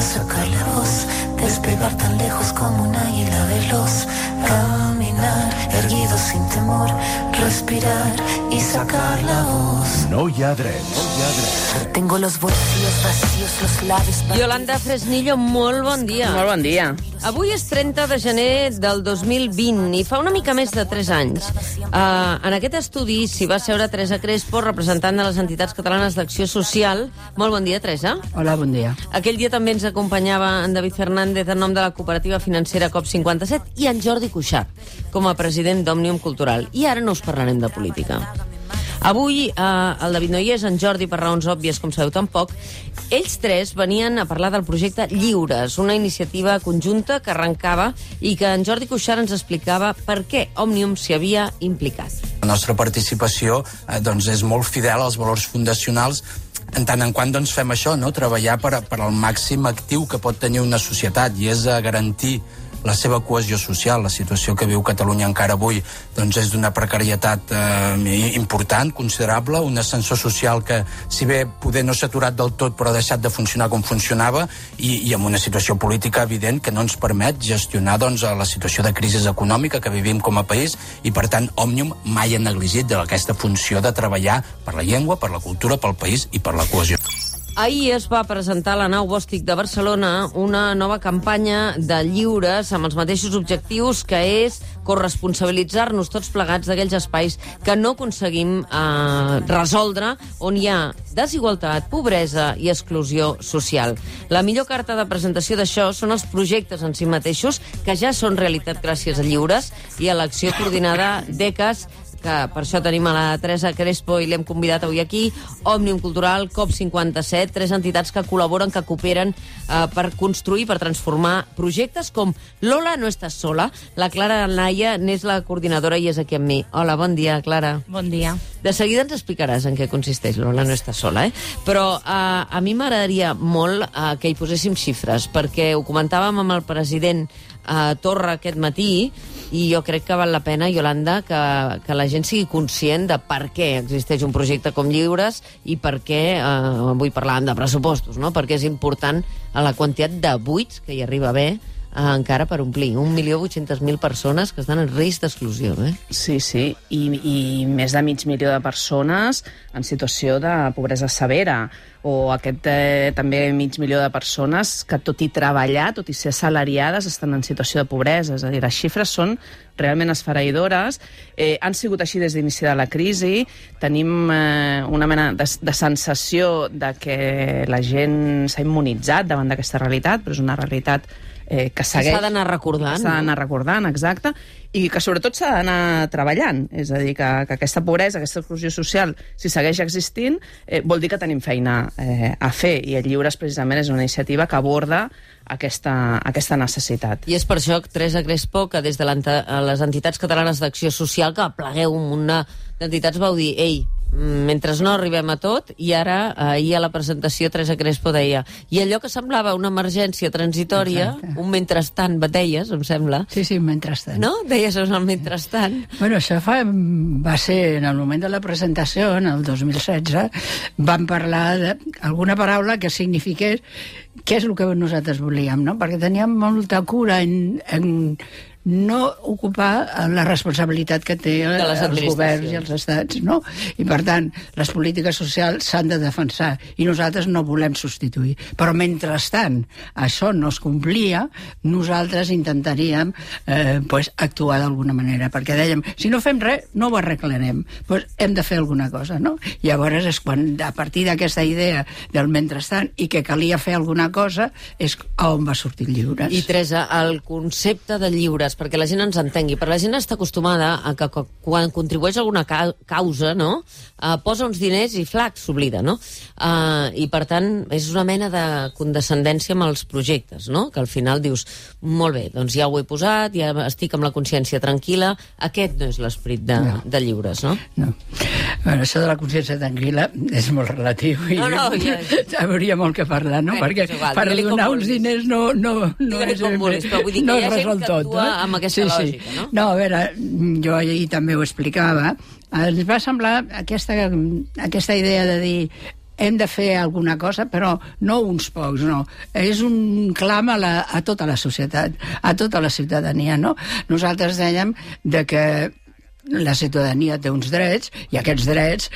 para sacar la voz, despegar tan lejos como un águila veloz, caminar erguido sin temor, respirar y sacar la voz. No hi ha drets. Tengo los bolsillos vacíos, los labios... Yolanda Fresnillo, molt bon dia. Molt bon dia. Avui és 30 de gener del 2020 i fa una mica més de 3 anys. En aquest estudi s'hi va seure Teresa Crespo, representant de les entitats catalanes d'acció social. Molt bon dia, Teresa. Hola, bon dia. Aquell dia també ens acompanyava en David Fernández en nom de la cooperativa financera COP57 i en Jordi Cuixart, com a president d'Òmnium Cultural. I ara no us parlarem de política. Avui el David no hi és, en Jordi, per raons òbvies, com sabeu tampoc. Ells tres venien a parlar del projecte Lliures, una iniciativa conjunta que arrencava i que en Jordi Cuixart ens explicava per què Òmnium s'hi havia implicat. La nostra participació és molt fidel als valors fundacionals, en tant en quant fem això, treballar per al màxim actiu que pot tenir una societat, i és garantir la seva cohesió social. La situació que viu Catalunya encara avui és d'una precarietat important, considerable, un ascensor social que, si bé poder no s'ha aturat del tot, però ha deixat de funcionar com funcionava, i amb una situació política evident que no ens permet gestionar la situació de crisi econòmica que vivim com a país, i per tant Òmnium mai ha negligit aquesta funció de treballar per la llengua, per la cultura, pel país i per la cohesió. Ahir es va presentar a la nau Bòstic de Barcelona una nova campanya de lliures amb els mateixos objectius, que és corresponsabilitzar-nos tots plegats d'aquells espais que no aconseguim resoldre, on hi ha desigualtat, pobresa i exclusió social. La millor carta de presentació d'això són els projectes en si mateixos, que ja són realitat gràcies a Lliures i a l'acció coordinada d'ECAS, que per això tenim a la Teresa Crespo i l'hem convidat avui aquí, Òmnium Cultural, COP57, 3 entitats que col·laboren, que cooperen per construir, per transformar projectes com Lola no estàs sola. La Clara Naya n'és la coordinadora i és aquí amb mi. Hola, bon dia, Clara. Bon dia. De seguida ens explicaràs en què consisteix Lola no estàs sola, Però a mi m'agradaria molt que hi poséssim xifres, perquè ho comentàvem amb el president Torra aquest matí, i jo crec que val la pena, Yolanda, que la gent sigui conscient de per què existeix un projecte com Lliures i per què, avui parlàvem de pressupostos, perquè és important la quantitat de buits que hi arriba a haver encara per omplir. 1.800.000 persones que estan en risc d'exclusió. Sí, i més de 500.000 de persones en situació de pobresa severa, o aquest també 500.000 de persones que, tot i treballar, tot i ser assalariades, estan en situació de pobresa. És a dir, les xifres són realment esfereïdores. Han sigut així des d'inici de la crisi. Tenim una mena de sensació de que la gent s'ha immunitzat davant d'aquesta realitat, però és una realitat que segueix... S'ha d'anar recordant. S'ha d'anar recordant, exacte, i que sobretot s'ha d'anar treballant. És a dir, que aquesta pobresa, aquesta exclusió social, si segueix existint, vol dir que tenim feina a fer, i el Lliures precisament és una iniciativa que aborda aquesta necessitat. I és per això, Teresa Crespo, que des de les entitats catalanes d'acció social, que plegueu un munt d'entitats, vau dir, ei, mentre no arribem a tot, i ara, ahir a la presentació, Teresa Crespo deia, i allò que semblava una emergència transitòria, un mentrestant, deies, em sembla. Sí, un mentrestant. No? Deies un mentrestant. Bueno, això va ser en el moment de la presentació, en el 2016, vam parlar d'alguna paraula que signifiqués què és el que nosaltres volíem, perquè teníem molta cura en no ocupar la responsabilitat que té els governs i els estats, I, per tant, les polítiques socials s'han de defensar i nosaltres no volem substituir. Però, mentrestant, això no es complia, nosaltres intentaríem actuar d'alguna manera, perquè dèiem, si no fem res, no ho arreglarem, hem de fer alguna cosa, I llavors és quan, a partir d'aquesta idea del mentrestant i que calia fer alguna cosa, és on va sortir Lliures. I, Teresa, el concepte de Lliures, perquè la gent ens entengui, perquè la gent està acostumada a que quan contribueix a alguna causa, posa uns diners i flac, s'oblida, I, per tant, és una mena de condescendència amb els projectes, que al final dius, molt bé, doncs ja ho he posat, ja estic amb la consciència tranquil·la, aquest no és l'esperit de Lliures, no? No. Bueno, això de la consciència tranquil·la és molt relatiu i hauria molt que parlar, perquè per donar uns diners no es resol tot, amb aquesta lògica, no? No, a veure, jo ahir també ho explicava. Ens va semblar aquesta idea de dir hem de fer alguna cosa, però no uns pocs, no. És un clam a tota la societat, a tota la ciutadania, no? Nosaltres dèiem de que la ciutadania té uns drets i aquests drets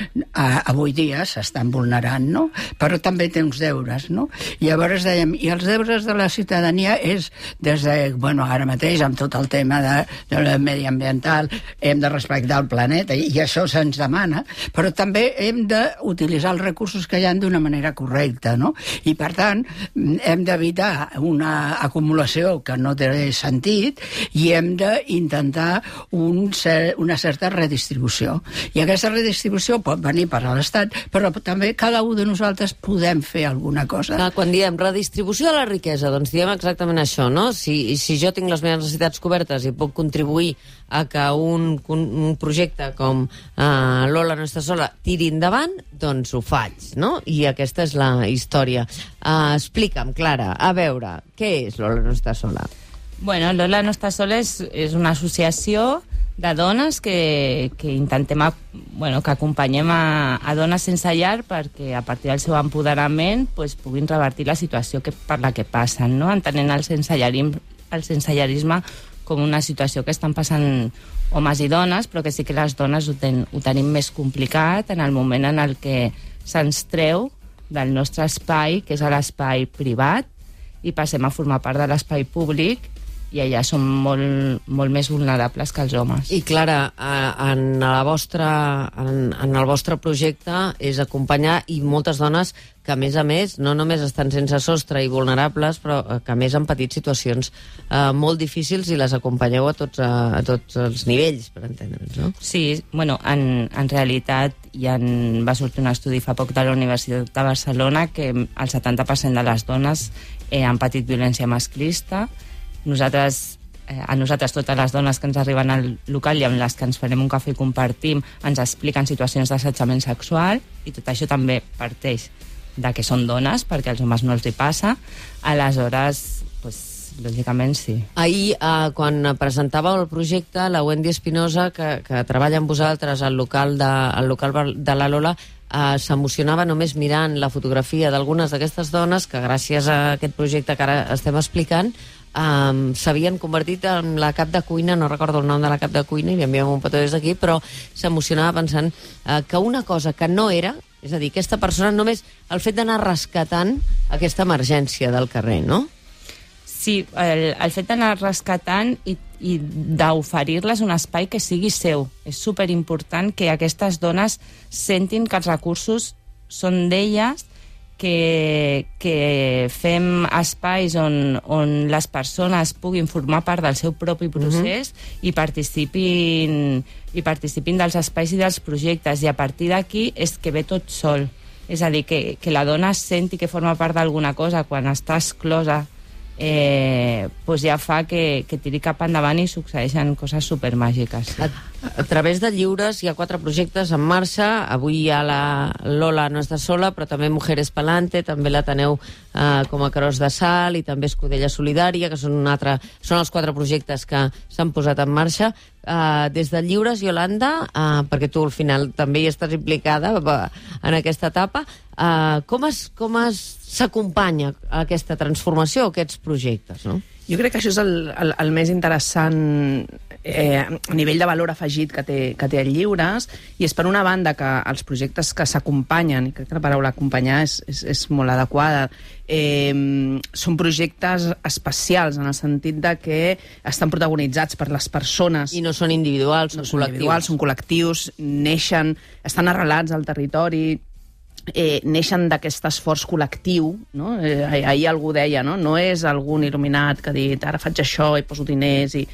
avui dia s'estan vulnerant, no? Però també té uns deures, no? I llavors dèiem, i els deures de la ciutadania és des de, bueno, ara mateix amb tot el tema de mediambiental hem de respectar el planeta i això se'ns demana, però també hem d'utilitzar els recursos que hi ha d'una manera correcta, no? I per tant hem d'evitar una acumulació que no té sentit i hem d'intentar una certa redistribució. I aquesta redistribució pot venir per a l'Estat, però també cada un de nosaltres podem fer alguna cosa. Quan diem redistribució de la riquesa, doncs diem exactament això, no? Si jo tinc les meves necessitats cobertes i puc contribuir a que un projecte com Lola no està sola tiri endavant, doncs ho faig, no? I aquesta és la història. Explica'm, Clara, a veure, què és Lola no està sola? Bueno, Lola no està sola és una associació de dones que intentem, que acompanyem a dones sense llar perquè a partir del seu empoderament puguin revertir la situació per la que passen, no? Entenent el sensellarisme com una situació que estan passant homes i dones, però que sí que les dones ho tenim més complicat en el moment en el que se'ns treu del nostre espai, que és l'espai privat, i passem a formar part de l'espai públic, i allà som molt més vulnerables que els homes. I Clara, en el vostre projecte és acompanyar i moltes dones que a més no només estan sense sostre i vulnerables, però que a més han patit situacions molt difícils i les acompanyeu a tots els nivells, per entendre'ns, no? Sí, bueno, en realitat va sortir un estudi fa poc de la Universitat de Barcelona que el 70% de les dones han patit violència masclista. A nosaltres totes les dones que ens arriben al local i amb les que ens farem un cafè i compartim ens expliquen situacions d'assetjament sexual, i tot això també parteix de que són dones, perquè als homes no els hi passa. Aleshores, lògicament sí. Ahir, quan presentàveu el projecte, la Wendy Espinosa, que treballa amb vosaltres al local de la Lola, s'emocionava només mirant la fotografia d'algunes d'aquestes dones que gràcies a aquest projecte que ara estem explicant s'havien convertit en la cap de cuina, no recordo el nom de la cap de cuina, i li enviem un petó des d'aquí, però s'emocionava pensant que una cosa que no era, és a dir, aquesta persona només el fet d'anar rescatant aquesta emergència del carrer, no? Sí, el fet d'anar rescatant i d'oferir-les un espai que sigui seu. És superimportant que aquestes dones sentin que els recursos són d'elles, que fem espais on les persones puguin formar part del seu propi procés i participin dels espais i dels projectes, i a partir d'aquí és que ve tot sol. És a dir, que la dona senti que forma part d'alguna cosa quan està exclosa, ja fa que tiri cap endavant i succeeixen coses supermàgiques. Sí. A través de Lliures hi ha 4 projectes en marxa. Avui hi ha la Lola no està sola, però també Mujeres Palante, també la teneu com a Carós de Sal, i també Escudella Solidària, que són els 4 projectes que s'han posat en marxa. Des de Lliures, Yolanda, perquè tu al final també hi estàs implicada en aquesta etapa, com s'acompanya aquesta transformació, aquests projectes, no? Jo crec que això és el més interessant a nivell de valor afegit que té el Lliures, i és per una banda que els projectes que s'acompanyen, i crec que la paraula acompanyar és molt adequada, són projectes especials en el sentit de que estan protagonitzats per les persones. I no són individuals, són col·lectius. Són col·lectius, neixen, estan arrelats al territori, neixen d'aquest esforç col·lectiu, no? Ahir algú deia, no és algun il·luminat que ha dit ara faig això i poso diners i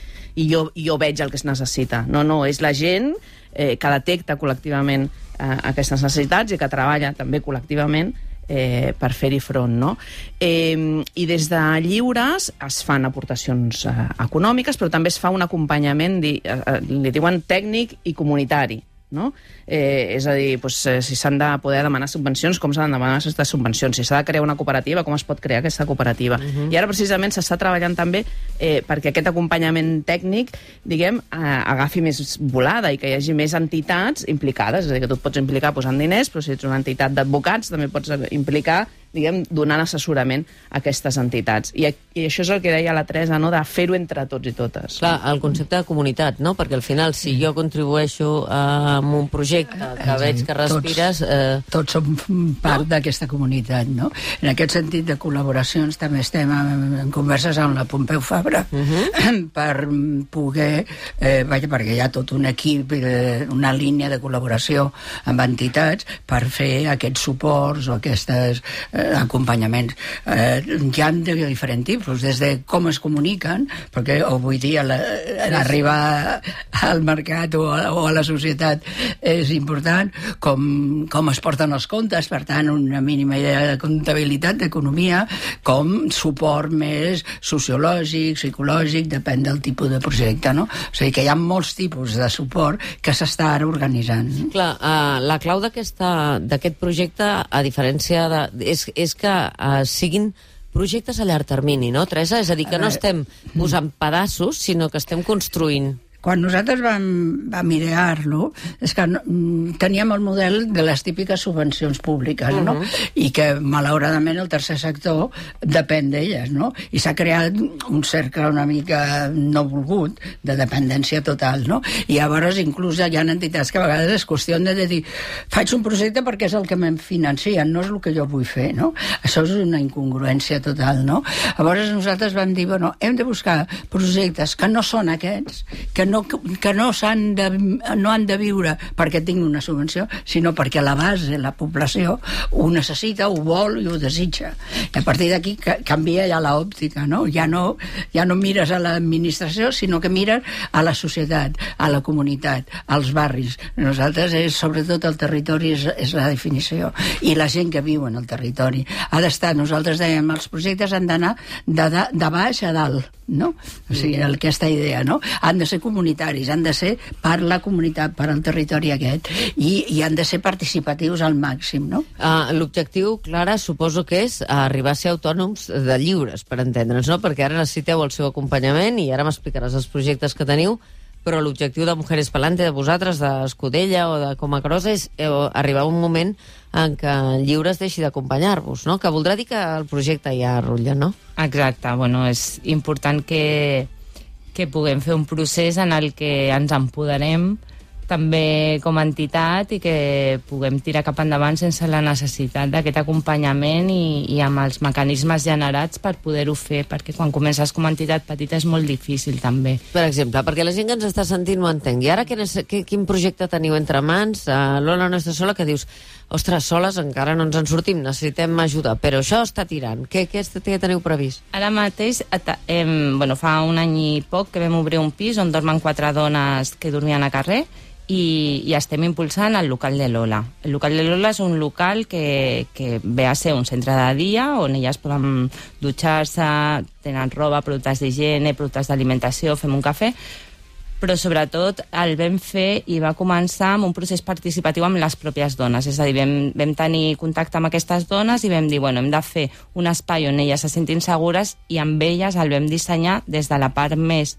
jo veig el que es necessita. No, és la gent que detecta col·lectivament aquestes necessitats i que treballa també col·lectivament per fer-hi front, no? I des de Lliures es fan aportacions econòmiques, però també es fa un acompanyament, li diuen tècnic i comunitari. no? És a dir, si s'han de poder demanar subvencions, com s'han de demanar aquestes subvencions? Si s'ha de crear una cooperativa, com es pot crear aquesta cooperativa? I ara precisament s'està treballant també perquè aquest acompanyament tècnic, diguem, agafi més volada i que hi hagi més entitats implicades. És a dir, que tu et pots implicar posant diners, però si ets una entitat d'advocats també pots implicar, diguem, donant assessorament a aquestes entitats. I això és el que deia la Teresa, no?, de fer-ho entre tots i totes. Clar, el concepte de comunitat, no? Perquè al final, si jo contribueixo amb un projecte que veig que respires... Tots som part d'aquesta comunitat, no? En aquest sentit de col·laboracions també estem en converses amb la Pompeu Fabra per poder... perquè hi ha tot un equip, una línia de col·laboració amb entitats per fer aquests suports o aquestes acompanyaments. Hi ha de diferents tipus, des de com es comuniquen, perquè avui dia arribar al mercat o a la societat és important, com es porten els comptes, per tant, una mínima idea de comptabilitat, d'economia, com suport més sociològic, psicològic, depèn del tipus de projecte, no? O sigui que hi ha molts tipus de suport que s'està ara organitzant. Clar, la clau d'aquest projecte, a diferència és que siguin projectes a llarg termini, no, Teresa? És a dir, que no estem posant pedaços, sinó que estem construint. Quan nosaltres vam idear-lo, és que teníem el model de les típiques subvencions públiques, no? I que, malauradament, el tercer sector depèn d'elles, no? I s'ha creat un cercle una mica no volgut, de dependència total, no? I llavors, inclús, hi ha entitats que a vegades és qüestió de dir faig un projecte perquè és el que me'n financien, no és el que jo vull fer, no? Això és una incongruència total, no? Llavors, nosaltres vam dir, bueno, hem de buscar projectes que no són aquests, que no han de viure perquè tinguin una subvenció, sinó perquè la base, la població, ho necessita, ho vol i ho desitja. I a partir d'aquí canvia ja l'òptica, no? Ja no mires a l'administració, sinó que mires a la societat, a la comunitat, als barris. Nosaltres, sobretot el territori és la definició. I la gent que viu en el territori. Ha d'estar, nosaltres dèiem, els projectes han d'anar de baix a dalt, no? O sigui, aquesta idea, no? Han de ser comunitaris, han de ser per la comunitat, per al territori aquest, i han de ser participatius al màxim, no? L'objectiu, Clara, suposo que és arribar a ser autònoms de lliures, per entendre'ns, no? Perquè ara necessiteu el seu acompanyament i ara m'explicaràs els projectes que teniu, però l'objectiu de Mujeres Palante, de vosaltres, d'Escudella o de Comacrosa, és arribar a un moment en què el lliure es deixi d'acompanyar-vos, no? Que voldrà dir que el projecte ja rutlla, no? Exacte, bueno, és important que puguem fer un procés en el que ens empoderem també com a entitat i que puguem tirar cap endavant sense la necessitat d'aquest acompanyament i amb els mecanismes generats per poder-ho fer, perquè quan comences com a entitat petita és molt difícil també. Per exemple, perquè la gent que ens està sentint ho entengui. Ara quin projecte teniu entre mans? Lola no està sola, que dius ostres, soles encara no ens en sortim, necessitem ajuda, però això està tirant. Què teniu previst? Ara mateix, fa un any i poc que vam obrir un pis on dormen 4 dones que dormien a carrer i estem impulsant el local de Lola. El local de Lola és un local que ve a ser un centre de dia on elles poden dutxar-se, tenen roba, productes d'higiene, productes d'alimentació, fem un cafè, però sobretot el vam fer i va començar amb un procés participatiu amb les pròpies dones. És a dir, vam tenir contacte amb aquestes dones i vam dir, bueno, hem de fer un espai on elles se sentin segures i amb elles el vam dissenyar des de la part més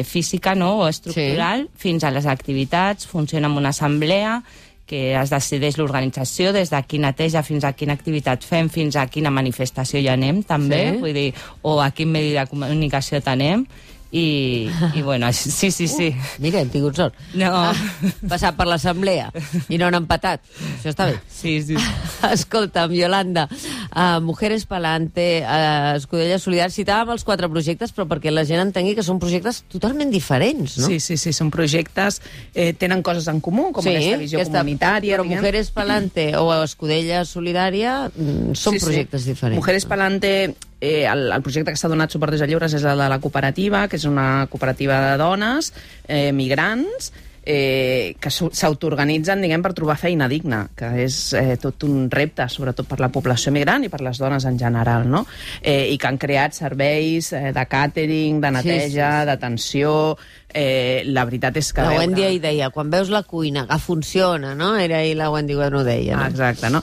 física, no?, o estructural, fins a les activitats. Funciona amb una assemblea que es decideix l'organització, des de qui neteja fins a quina activitat fem, fins a quina manifestació hi anem, també, vull dir, o a quin medi de comunicació tenem. I bueno, sí. Mira, hem tingut sort. No. Passat per l'assemblea i no han empatat. Això està bé. Sí. Escolta'm, Yolanda, Mujeres Palante, Escudella Solidària, citàvem els 4 projectes, però perquè la gent entengui que són projectes totalment diferents, no? Sí, són projectes, tenen coses en comú, com aquesta visió comunitària. Però Mujeres Palante o Escudella Solidària són projectes diferents. Mujeres Palante, el projecte que s'ha donat suport des de lliures és el de la cooperativa, que és una cooperativa de dones migrants, que s'autoorganitzen, diguem, per trobar feina digna, que és tot un repte, sobretot per la població migrant i per les dones en general, no? I que han creat serveis de càtering, de neteja, d'atenció. La veritat és que... La Wendy hi deia, quan veus la cuina, que funciona, no? Era ahir la Wendy quan ho deia. No? Exacte, no?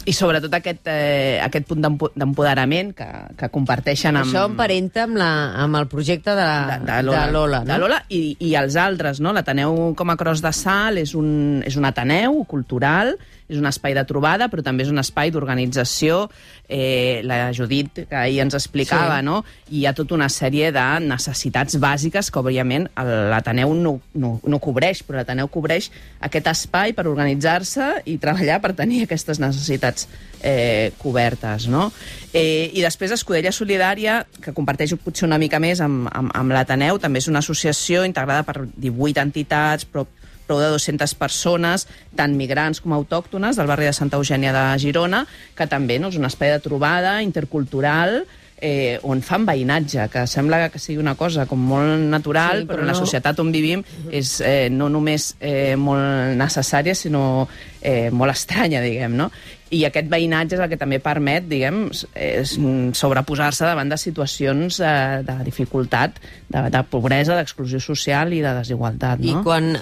I sobretot aquest punt d'empoderament que comparteixen amb... Això emparenta amb el projecte de Lola, no? De Lola i els altres, no? L'Ateneu com a Cros de Sal és un Ateneu cultural, és un espai de trobada, però també és un espai d'organització. La Judit, que ahir ens explicava, no? Hi ha tota una sèrie de necessitats bàsiques que, òbviament, l'Ateneu no cobreix, però l'Ateneu cobreix aquest espai per organitzar-se i treballar per tenir aquestes necessitats cobertes, no? I després Escudella Solidària, que comparteix potser una mica més amb l'Ateneu, també és una associació integrada per 18 entitats, prou de 200 persones, tant migrants com autòctones, del barri de Santa Eugènia de Girona, que també és un espai de trobada intercultural, on fan veïnatge, que sembla que sigui una cosa com molt natural, però en la societat on vivim és no només molt necessària, sinó molt estranya, diguem, no? I aquest veïnatge és el que també permet, diguem, sobreposar-se davant de situacions de dificultat, de pobresa, d'exclusió social i de desigualtat, no? I quan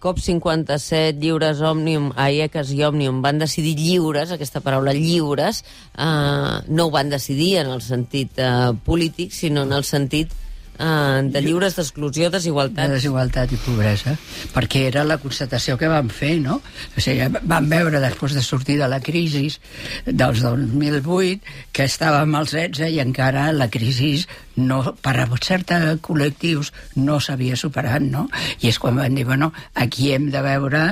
COP57, Lliures, Òmnium, AIECAS i Òmnium van decidir lliures, aquesta paraula lliures, no ho van decidir en el sentit polític, sinó en el sentit de lliures d'exclusió, desigualtat. De desigualtat i pobresa, perquè era la constatació que vam fer, no? O sigui, vam veure, després de sortir de la crisi dels 2008, que estàvem als 16 i encara la crisi per a certs col·lectius no s'havia superat, no? I és quan vam dir, bueno, aquí hem de veure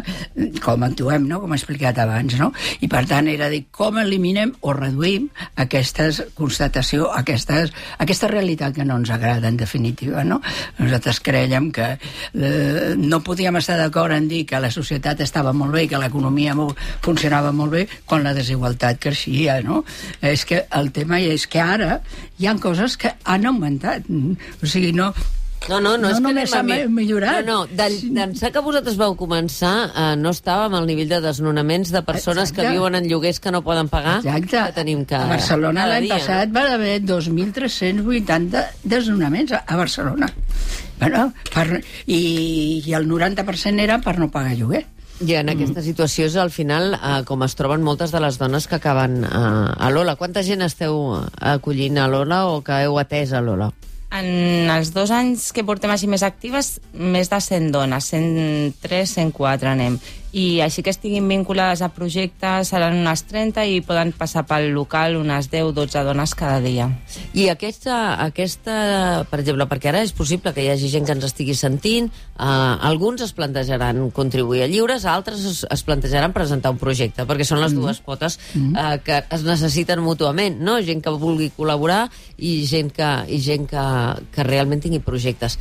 com actuem, no? Com he explicat abans, no? I per tant era dir com eliminem o reduïm aquesta constatació, aquesta realitat que no ens agrada, en definitiva, no? Nosaltres creiem que no podíem estar d'acord en dir que la societat estava molt bé, que l'economia funcionava molt bé, quan la desigualtat creixia, no? És que el tema és que ara hi ha coses que han augmentat. O sigui, no és que només s'ha millorat. D'ençà que vosaltres vau començar, no estàvem al nivell de desnonaments de persones que viuen en lloguers que no poden pagar. Exacte. Que tenim a Barcelona l'any passat va haver 2.380 desnonaments a Barcelona. Bueno, i el 90% era per no pagar lloguer. I en aquesta situació és, al final, com es troben moltes de les dones que acaben a Lola. Quanta gent esteu acollint a Lola o que heu atès a Lola? En els 2 anys que portem així més actives, més de 100 dones, 103, 104 anem. I així que estiguin vinculades a projectes seran unes 30 i poden passar pel local unes 10-12 dones cada dia. I aquesta, per exemple, perquè ara és possible que hi hagi gent que ens estigui sentint, alguns es plantejaran contribuir a lliures, altres es plantejaran presentar un projecte, perquè són les dues potes que es necessiten mútuament, no? Gent que vulgui col·laborar i gent que realment tingui projectes.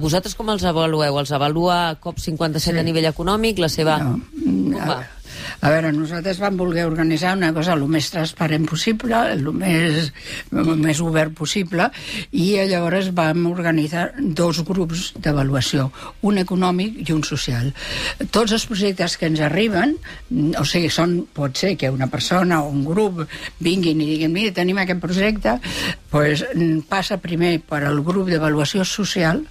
Vosaltres com els avalueu? Els avalua COP57 a nivell econòmic, la seva... A veure, nosaltres vam voler organitzar una cosa el més transparent possible, el més obert possible, i llavors vam organitzar 2 grups d'avaluació, un econòmic i un social. Tots els projectes que ens arriben, o sigui, pot ser que una persona o un grup vinguin i diguin, mira, tenim aquest projecte, doncs passa primer per al grup d'avaluació social,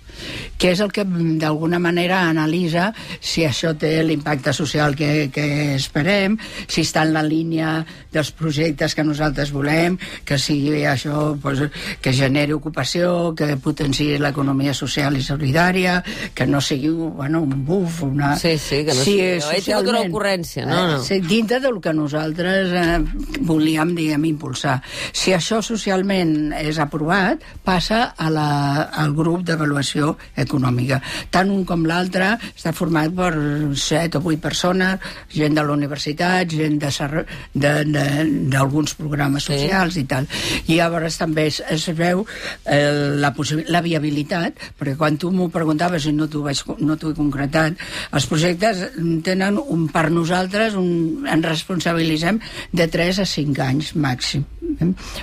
que és el que d'alguna manera analitza si això té l'impacte social que esperem, si està en la línia dels projectes que nosaltres volem, que sigui això, que generi ocupació, que potenciï l'economia social i solidària, que no sigui un buf, una... Sí, que no sigui... He tingut una ocurrència, no? Dintre del que nosaltres volíem, diguem, impulsar. Si això socialment és aprovat, passa al grup d'avaluació econòmica. Tant un com l'altre està format per 7 o 8 persones, gent de la universitat, gent d'alguns programes socials i tal. I llavors també es veu la viabilitat, perquè quan tu m'ho preguntaves i no t'ho he concretat, els projectes tenen per nosaltres ens responsabilitzem de 3 a 5 anys màxim.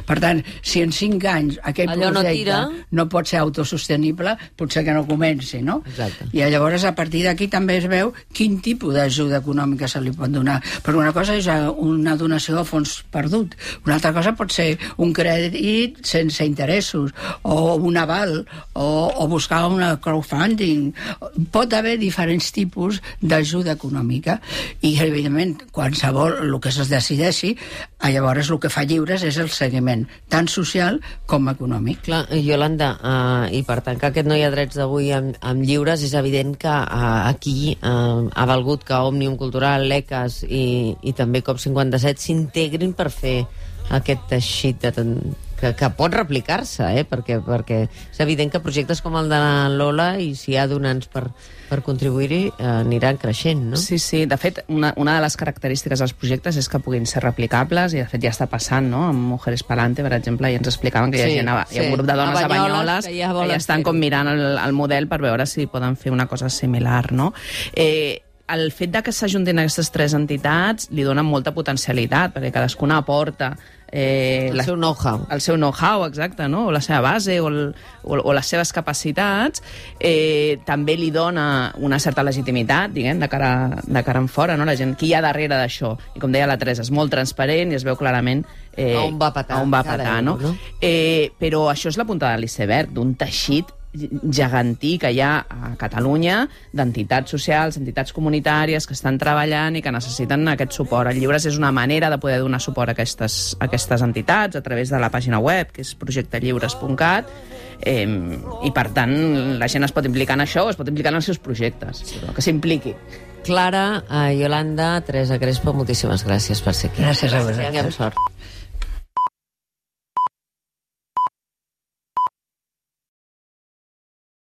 Per tant, si en 5 anys aquell projecte no pot ser autosostenible, potser potser que no comenci, no? Exacte. I llavors, a partir d'aquí també es veu quin tipus d'ajuda econòmica se li pot donar. Perquè una cosa és una donació a fons perdut, una altra cosa pot ser un crèdit sense interessos, o un aval, o buscar una crowdfunding. Pot haver diferents tipus d'ajuda econòmica, i evidentment qualsevol, el que es decideixi, llavors el que fa Lliures és el seguiment, tant social com econòmic. Clar, Iolanda, i per tant que aquest No hi ha drets d'avui amb Lliures, és evident que aquí ha valgut que Òmnium Cultural, l'ECAS i també COP57 s'integrin per fer aquest teixit que pot replicar-se, perquè és evident que projectes com el de la Lola, i si hi ha donants per contribuir-hi, aniran creixent, no? Sí, de fet, una de les característiques dels projectes és que puguin ser replicables, i de fet ja està passant, no? Amb Mujeres Palante, per exemple, i ens explicaven que hi ha un grup de dones a Banyoles que ja estan com mirant el model per veure si poden fer una cosa similar, no? El fet de que s'ajuntin aquestes tres entitats li dona molta potencialitat, perquè cadascuna aporta el seu know-how. El seu know-how, exacte, no? O la seva base, o les seves capacitats. També li dona una certa legitimitat, diguem, de cara en fora, no? La gent, qui hi ha darrere d'això? I com deia la Teresa, és molt transparent i es veu clarament on va patar, no? Però això és la punta de l'iceberg d'un teixit gegantí que hi ha a Catalunya d'entitats socials, entitats comunitàries que estan treballant i que necessiten aquest suport. El Lliures és una manera de poder donar suport a aquestes entitats a través de la pàgina web, que és projectellliures.cat, i per tant la gent es pot implicar en això o es pot implicar en els seus projectes, però que s'impliqui. Clara, Iolanda, Teresa Crespo, moltíssimes gràcies per ser aquí. Gràcies a vosaltres. Tinguem sort.